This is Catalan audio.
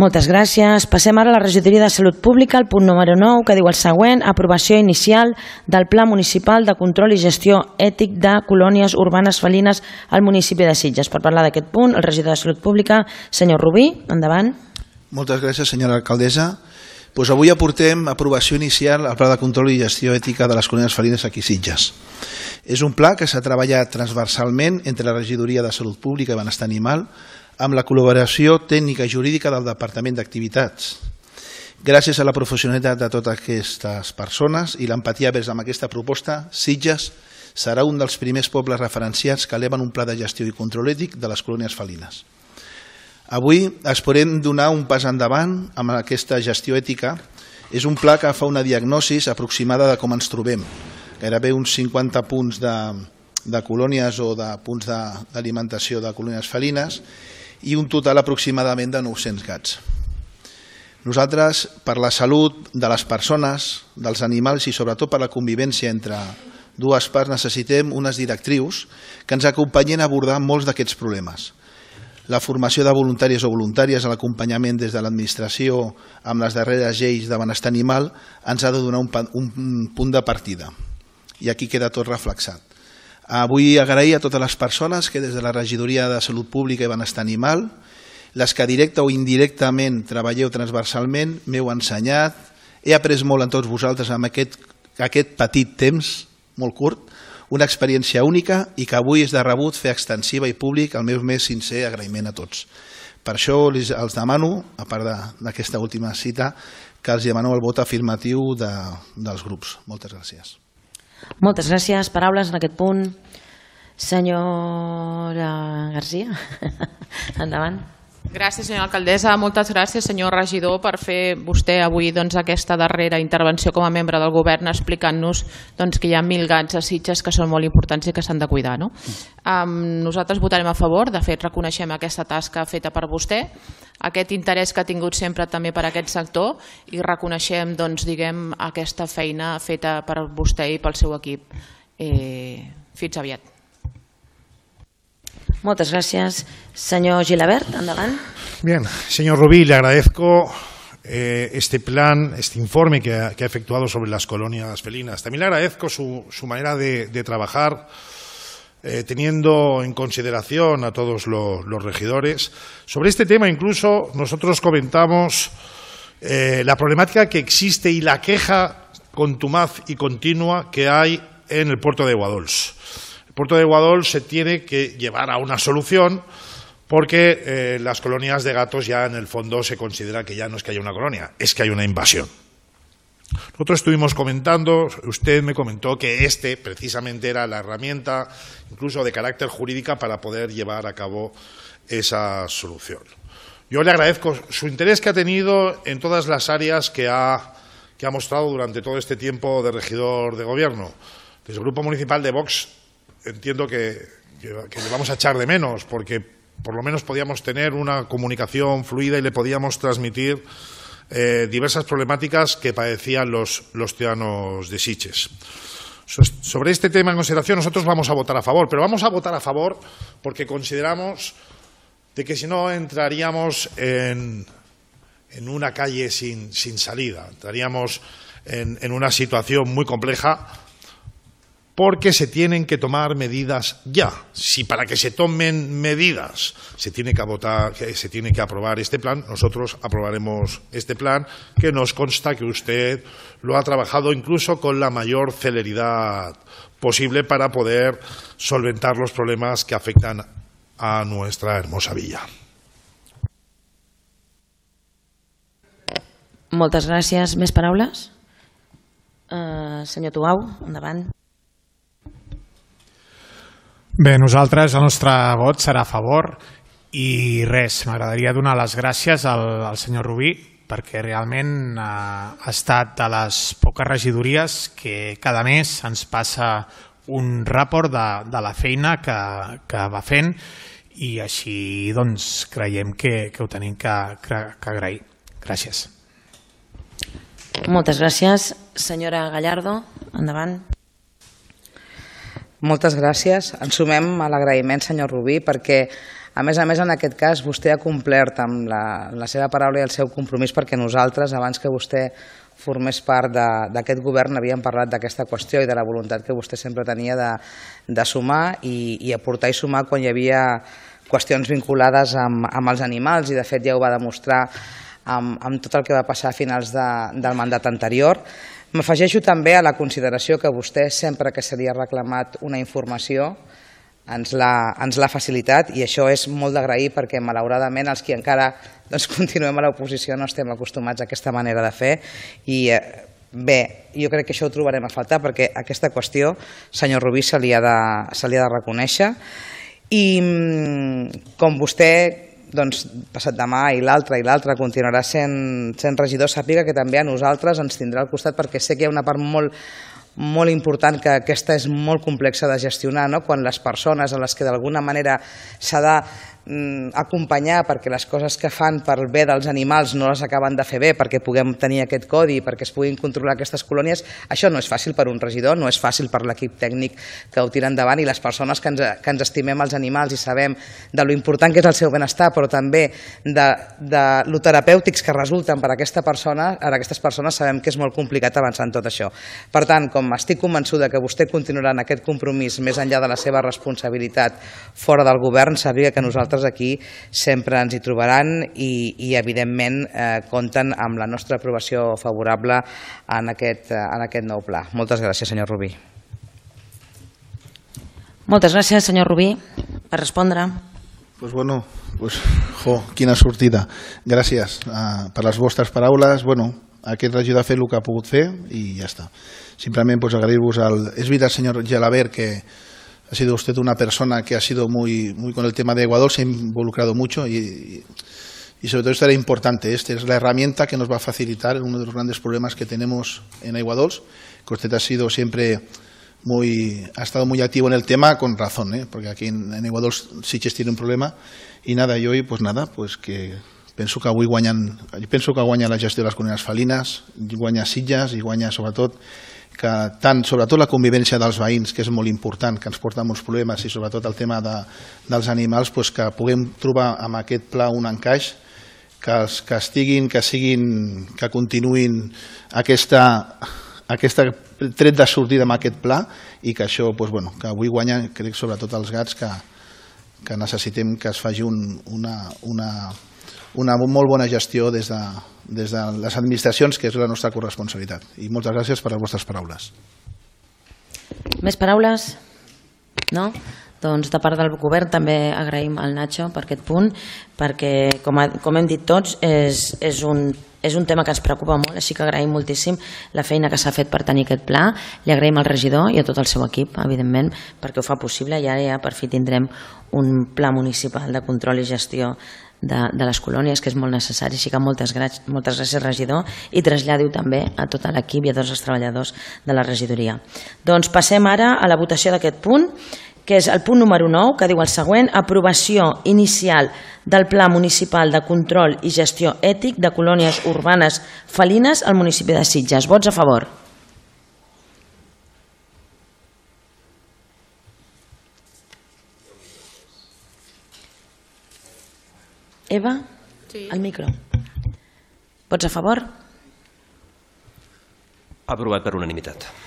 Moltes gràcies. Passem ara a la regidoria de Salut Pública, el punt número 9, que diu el següent: aprovació inicial del Pla Municipal de Control i Gestió Ètic de Colònies Urbanes Felines al municipi de Sitges. Per parlar d'aquest punt, el regidor de Salut Pública, senyor Rubí, endavant. Moltes gràcies, senyora alcaldessa. Avui aportem aprovació inicial al Pla de Control i Gestió Ètica de les Colònies Felines aquí a Sitges. És un pla que s'ha treballat transversalment entre la regidoria de Salut Pública i Benestar Animal amb la col·laboració tècnica i jurídica del Departament d'Activitats. Gràcies a la professionalitat de totes aquestes persones i l'empatia vers amb aquesta proposta, Sitges serà un dels primers pobles referenciats que eleven un pla de gestió i control ètic de les colònies felines. Avui esperem donar un pas endavant amb aquesta gestió ètica. És un pla que fa una diagnosi aproximada de com ens trobem. Gairebé uns 50 punts de colònies o de punts d'alimentació de colònies felines i un total aproximadament de 900 gats. Nosaltres, per la salut de les persones, dels animals i sobretot per la convivència entre dues parts, necessitem unes directrius que ens acompanyin a abordar molts d'aquests problemes. La formació de voluntaris o voluntàries a l'acompanyament des de l'administració amb les darreres lleis de benestar animal ens ha de donar un punt de partida. I aquí queda tot reflexat. Vull agrair a totes les persones que des de la regidoria de Salut Pública i Benestar Animal, les que directa o indirectament treballeu transversalment, m'heu ensenyat, he après molt en tots vosaltres amb aquest petit temps, molt curt, una experiència única i que avui és de rebut fer extensiva i públic el meu més sincer agraïment a tots. Per això els demano, a part d'aquesta última cita, que els demaneu el vot afirmatiu dels grups. Moltes gràcies. Moltes gràcies. Paraules en aquest punt. Senyora Garcia, endavant. Gràcies, senyora alcaldessa. Moltes gràcies, senyor regidor, per fer vostè avui aquesta darrera intervenció com a membre del govern explicant-nos que hi ha 1.000 gats a Sitges que són molt importants i que s'han de cuidar. Nosaltres votarem a favor. De fet, reconeixem aquesta tasca feta per vostè, aquest interès que ha tingut sempre també per aquest sector i reconeixem aquesta feina feta per vostè i pel seu equip. Fins aviat. Muchas gracias. Señor Gilabert, endavant. Bien, señor Rubí, le agradezco este plan, este informe que ha efectuado sobre las colonias felinas. También le agradezco su manera de trabajar, teniendo en consideración a todos los regidores. Sobre este tema incluso nosotros comentamos la problemática que existe y la queja contumaz y continua que hay en el puerto de Guadols. El puerto de Guadols se tiene que llevar a una solución porque las colonias de gatos ya en el fondo se considera que ya no es que haya una colonia, es que hay una invasión. Nosotros estuvimos comentando, usted me comentó que precisamente era la herramienta incluso de carácter jurídica para poder llevar a cabo esa solución. Yo le agradezco su interés que ha tenido en todas las áreas que ha mostrado durante todo este tiempo de regidor de gobierno. Desde el Grupo Municipal de Vox entiendo que le vamos a echar de menos, porque por lo menos podíamos tener una comunicación fluida y le podíamos transmitir diversas problemáticas que padecían los ciudadanos de Sitges. Sobre este tema en consideración nosotros vamos a votar a favor, pero vamos a votar a favor porque consideramos de que si no entraríamos en una calle sin salida, entraríamos en una situación muy compleja, porque se tienen que tomar medidas ya. Si para que se tomen medidas se tiene que aprobar este plan, nosotros aprobaremos este plan, que nos consta que usted lo ha trabajado incluso con la mayor celeridad posible para poder solventar los problemas que afectan a nuestra hermosa villa. Moltes gràcies. Més paraules? Senyor Tuau, endavant. Bé, nosaltres el nostre vot serà a favor i res, m'agradaria donar les gràcies al senyor Rubí perquè realment ha estat de les poques regidories que cada mes ens passa un report de la feina que va fent i així doncs creiem que ho tenim que agrair. Gràcies. Moltes gràcies. Senyora Gallardo, endavant. Moltes gràcies. Ens sumem a l'agraïment, senyor Rubí, perquè A més, en aquest cas, vostè ha complert amb la seva paraula i el seu compromís, perquè nosaltres, abans que vostè formés part d'aquest govern, havíem parlat d'aquesta qüestió i de la voluntat que vostè sempre tenia de sumar i aportar i sumar quan hi havia qüestions vinculades amb els animals, i de fet ja ho va demostrar amb tot el que va passar a finals del mandat anterior. M'afegeixo també a la consideració que vostè, sempre que se li ha reclamat una informació, ens l'ha facilitat, i això és molt d'agrair, perquè malauradament els que encara continuem a l'oposició no estem acostumats a aquesta manera de fer, i bé, jo crec que això ho trobarem a faltar, perquè aquesta qüestió, senyor Rubí, se li ha de reconèixer. I com vostè passat demà i l'altre continuarà sent regidor, sàpiga que també a nosaltres ens tindrà al costat, perquè sé que hi ha una part molt important, que aquesta és molt complexa de gestionar, quan les persones a les que d'alguna manera s'ha d'acompanyar perquè les coses que fan per bé dels animals no les acaben de fer bé, perquè puguem tenir aquest codi, perquè es puguin controlar aquestes colònies, això no és fàcil per un regidor, no és fàcil per l'equip tècnic que ho tira endavant, i les persones que ens estimem els animals i sabem de lo important que és el seu benestar, però també de lo terapèutics que resulten per a aquestes persones, sabem que és molt complicat avançar en tot això. Per tant, com estic convençuda que vostè continuarà en aquest compromís més enllà de la seva responsabilitat fora del govern, sàpiga que nosaltres aquí sempre ens hi trobaran, i evidentment compten amb la nostra aprovació favorable en aquest nou pla. Moltes gràcies, senyor Rubí. Moltes gràcies, senyor Rubí. Per respondre. Pues bueno, quina sortida. Gràcies per les vostres paraules. Aquest regidor ha fet el que ha pogut fer i ja està. Simplement agrair-vos es veritat, señor Gelabert, que ha sido usted una persona que ha sido muy con el tema de Ecuador, se ha involucrado mucho y sobre todo esto era importante. Esta es la herramienta que nos va a facilitar uno de los grandes problemas que tenemos en Ecuador, que usted ha sido siempre ha estado muy activo en el tema, con razón, porque aquí en Ecuador Sitges tiene un problema, y nada, y hoy que penso que avui guanya la gestió de les colònies felines, guanya Sitges i guanya sobretot la convivència dels veïns, que és molt important, que ens porta molts problemes, i sobretot el tema dels animals, que puguem trobar amb aquest pla un encaix, que continuïn aquest tret de sortida amb aquest pla, i que això, que avui guanya, crec, sobretot els gats, que necessitem que es faci una molt bona gestió des de les administracions, que és la nostra corresponsabilitat. I moltes gràcies per les vostres paraules. Més paraules? No? Doncs de part del govern també agraïm al Nacho per aquest punt, perquè, com hem dit tots, és un tema que ens preocupa molt, així que agraïm moltíssim la feina que s'ha fet per tenir aquest pla. Li agraïm al regidor i a tot el seu equip, evidentment, perquè ho fa possible, i ara ja per fi tindrem un pla municipal de control i gestió de les colònies, que és molt necessari. Així que moltes gràcies, regidor, i traslladi-ho també a tot l'equip i a tots els treballadors de la regidoria. Doncs passem ara a la votació d'aquest punt, que és el punt número 9, que diu el següent: aprovació inicial del Pla Municipal de Control i Gestió Ètic de Colònies Urbanes Felines al municipi de Sitges. Vots a favor. Eva, sí. Al micro. Vots a favor? Aprovat per unanimitat.